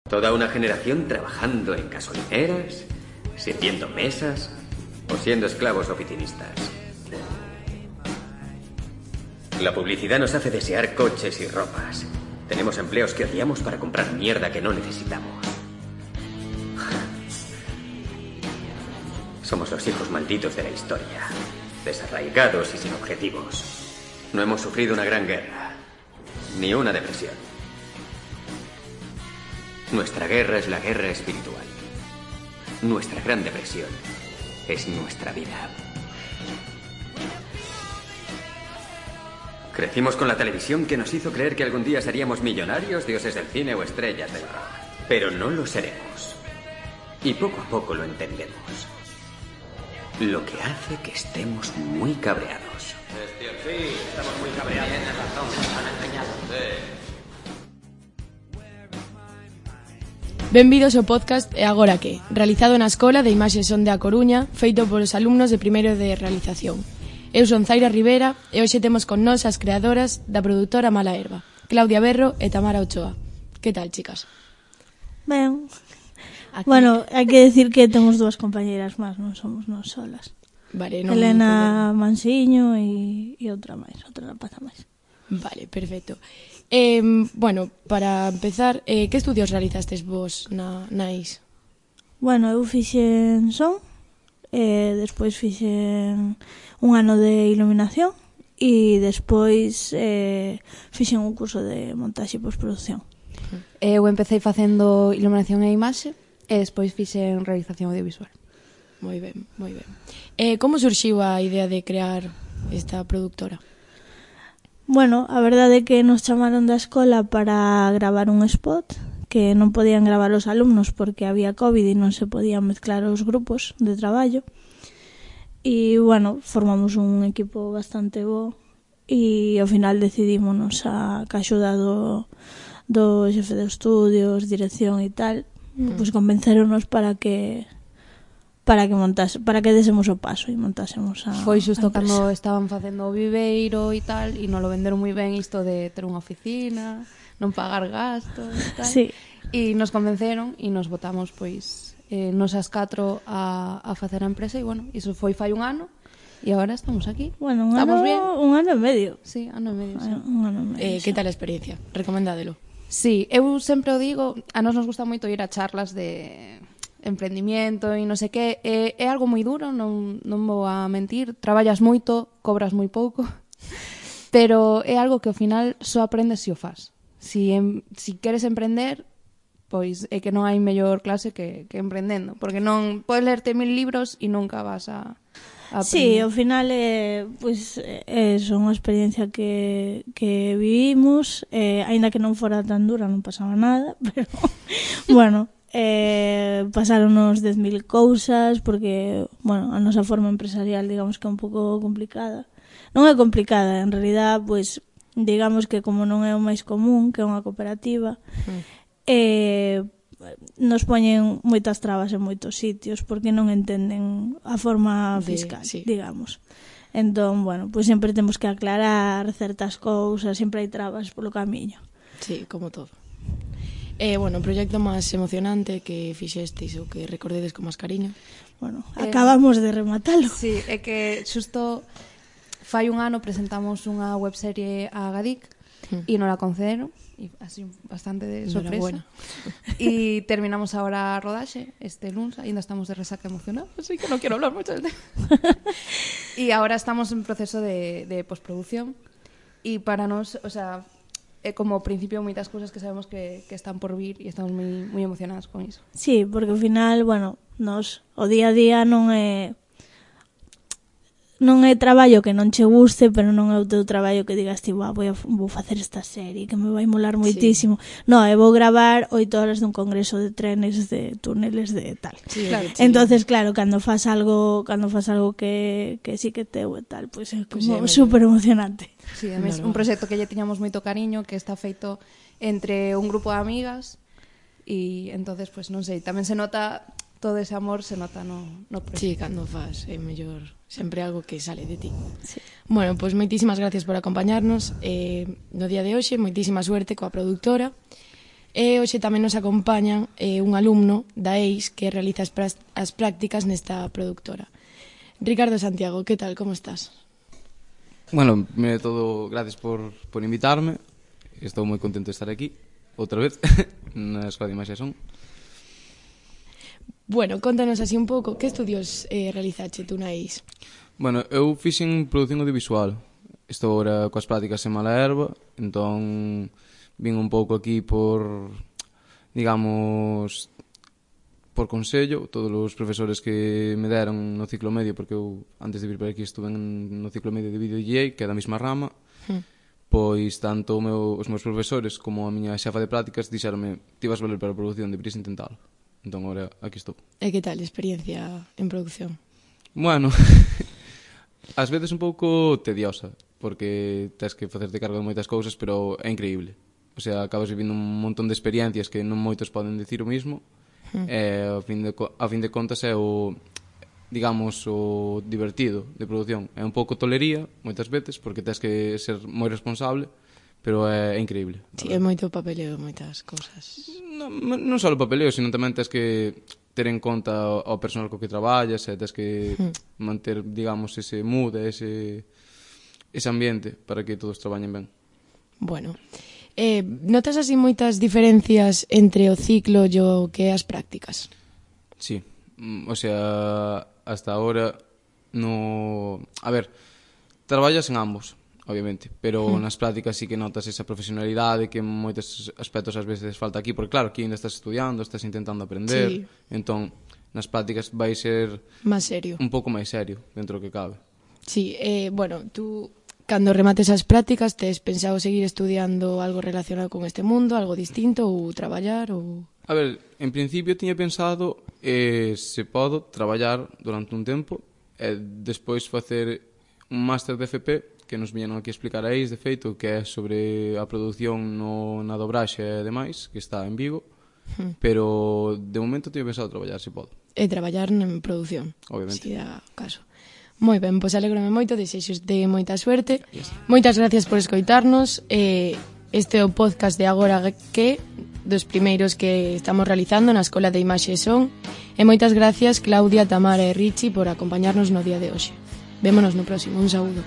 Toda una generación trabajando en gasolineras, sirviendo mesas o siendo esclavos oficinistas. La publicidad nos hace desear coches y ropas. Tenemos empleos que odiamos para comprar mierda que no necesitamos. Somos los hijos malditos de la historia, desarraigados y sin objetivos. No hemos sufrido una gran guerra, ni una depresión. Nuestra guerra es la guerra espiritual. Nuestra gran depresión es nuestra vida. Crecimos con la televisión que nos hizo creer que algún día seríamos millonarios, dioses del cine o estrellas del rock. Pero no lo seremos. Y poco a poco lo entendemos. Lo que hace que estemos muy cabreados. Sí, estamos muy cabreados. Tienes razón, nos han engañado. Benvidos ao podcast E Agora Que, realizado na Escola de Imaxes Son de A Coruña, feito polos alumnos de primeiro de realización. Eu son Zaira Rivera e hoxe temos con nós as creadoras da produtora Mala Herba, Claudia Berro e Tamara Ochoa. Que tal, chicas? Ben. Aquí. Bueno, hai que decir que temos dúas compañeiras máis, non somos nós solas. Vale, non Elena Mansiño e outra máis, outra rapaza máis. Vale, perfecto. Bueno, para empezar, que estudios realizastes vos na IS? Bueno, eu fixen son, despois fixen un ano de iluminación e despois fixen un curso de montaxe e postproducción. Eu empecé facendo iluminación e imaxe e despois fixen realización audiovisual. Moi ben, moi ben. Como surxiu a idea de crear esta productora? Bueno, a verdade é que nos chamaron da escola para gravar un spot que non podían gravar os alumnos porque había COVID e non se podían mezclar os grupos de traballo. E, bueno, formamos un equipo bastante bo e ao final decidímonos a axuda do xefe de estudios, dirección e tal, pois convencéronos para que desemos o paso e montásemos a Foi xusto a cando estaban facendo o viveiro e tal, e non lo venderon moi ben isto de ter unha oficina, non pagar gastos e tal. Sí. E nos convenceron e nos botamos, pois, nos as 4 a facer a empresa e, bueno, iso foi fai un ano e agora estamos aquí. Bueno, un estamos ano e medio. Sí, ano e medio, sí. Un ano e medio. Que tal a experiencia? Recomendádelo. Sí, eu sempre o digo, a nos gusta moito ir a charlas de emprendimiento e non sei que, é algo moi duro, non vou a mentir, traballas moito, cobras moi pouco, pero é algo que ao final só aprendes se o fas. Si queres emprender, pois é que non hai mellor clase que emprendendo, porque non podes lerte 1000 libros e nunca vas a aprender. Sí, ao final pois é unha experiencia que vivimos, aínda que non fora tan dura, non pasaba nada, pero bueno, pasaronos 10.000 cousas porque, bueno, a nosa forma empresarial digamos que é un pouco complicada. Non é complicada, en realidad, pois digamos que como non é o máis común, que é unha cooperativa, nos poñen moitas trabas en moitos sitios porque non entenden a forma fiscal, sí. digamos. Entón, bueno, pois sempre temos que aclarar certas cousas, sempre hai trabas polo camiño. Sí, como todo. Bueno, o proxecto máis emocionante que fixestes ou que recordedes con máis cariño? Bueno, acabamos de rematalo. Sí, é que xusto fai un ano presentamos unha webserie a Gadic e non la concederon, e así bastante de sorpresa. E terminamos agora a rodaxe este luns, ainda estamos de resaca emocional, así que non quero hablar moito del tema. E agora estamos en proceso de postproducción e para nós, o sea, é como ao principio moitas cousas que sabemos que están por vir e estamos moi emocionados con iso. Sí, porque ao final, bueno, nos o día a día non é traballo que non che guste, pero non é o teu traballo que digas ti, vou facer esta serie que me vai molar moitísimo. Sí. No, vou gravar 8 horas dun congreso de trenes, de túneles, de tal. Sí, claro. Entonces, claro, cando fas algo que sí que teu e tal, pois é como super emocionante. Sí, además, un proxecto que lle tiñamos moito cariño, que está feito entre un grupo de amigas e entonces, pois non sei, tamén se nota todo ese amor, se nota no proxecto. Sí, cando fas, é mellor sempre algo que sale de ti. Sí. Bueno, pois moitísimas gracias por acompañarnos no día de hoxe, moitísima suerte coa produtora E hoxe tamén nos acompañan un alumno da EIS que realiza as prácticas nesta productora. Ricardo Santiago, que tal, como estás? Bueno, primeiro de todo, gracias por invitarme. Estou moi contento de estar aquí, outra vez, na Escola de Imaxe e Son. Bueno, contanos así un pouco, que estudios realizache tú na EIS? Bueno, eu fixen produción audiovisual. Estou agora coas prácticas en Malaherba, entón vin un pouco aquí por, digamos, por consello, todos os profesores que me deron no ciclo medio, porque eu, antes de vir por aquí, estuve no ciclo medio de Video DJ, que é da mesma rama, pois tanto os meus profesores como a miña xefa de prácticas dixeronme, ti vas valer para a produción, deberías intentalo. Entón, agora, aquí estou. E que tal a experiencia en producción? Bueno, ás veces un pouco tediosa, porque tens que facerte cargo de moitas cousas, pero é increíble. O sea, acabas vivindo un montón de experiencias que non moitos poden dicir o mismo, e a fin de contas é o, digamos, o divertido de produción. É un pouco tolería, moitas veces, porque tens que ser moi responsable, pero é increíble. Sí, é moito papeleo, moitas cousas. Non só o papeleo, sino tamén tens que ter en conta o personal co que traballas, e tens que manter, digamos, ese mood, ese ambiente para que todos traballen ben. Bueno, notas así moitas diferencias entre o ciclo e o que é as prácticas? Sí, o sea, hasta ahora no... A ver, traballas en ambos, obviamente, pero nas prácticas sí que notas esa profesionalidade que en moitos aspectos ás veces falta aquí, porque claro, aquí ainda estás estudiando, estás intentando aprender, sí. Entón, nas prácticas vai ser... Más serio. Un pouco máis serio, dentro do que cabe. Sí, bueno, tú... Cando remates as prácticas, tes pensado seguir estudiando algo relacionado con este mundo, algo distinto, ou traballar, ou... A ver, en principio tiña pensado, se podo, traballar durante un tempo, e despois facer un máster de FP, que nos viñeron aquí a explicar a EIS, de feito, que é sobre a produción na dobraxe e demais, que está en Vigo, pero de momento tiña pensado traballar, se podo. E traballar en produción, obviamente. Si dá caso. Moi ben, pois alégrome moito, desexos de moita suerte. Moitas gracias por escoitarnos. Este é o podcast de Agora que, dos primeiros que estamos realizando na Escola de Imaxe e Son. E moitas gracias Claudia, Tamara e Richi por acompañarnos no día de hoxe. Vémonos no próximo. Un saúdo.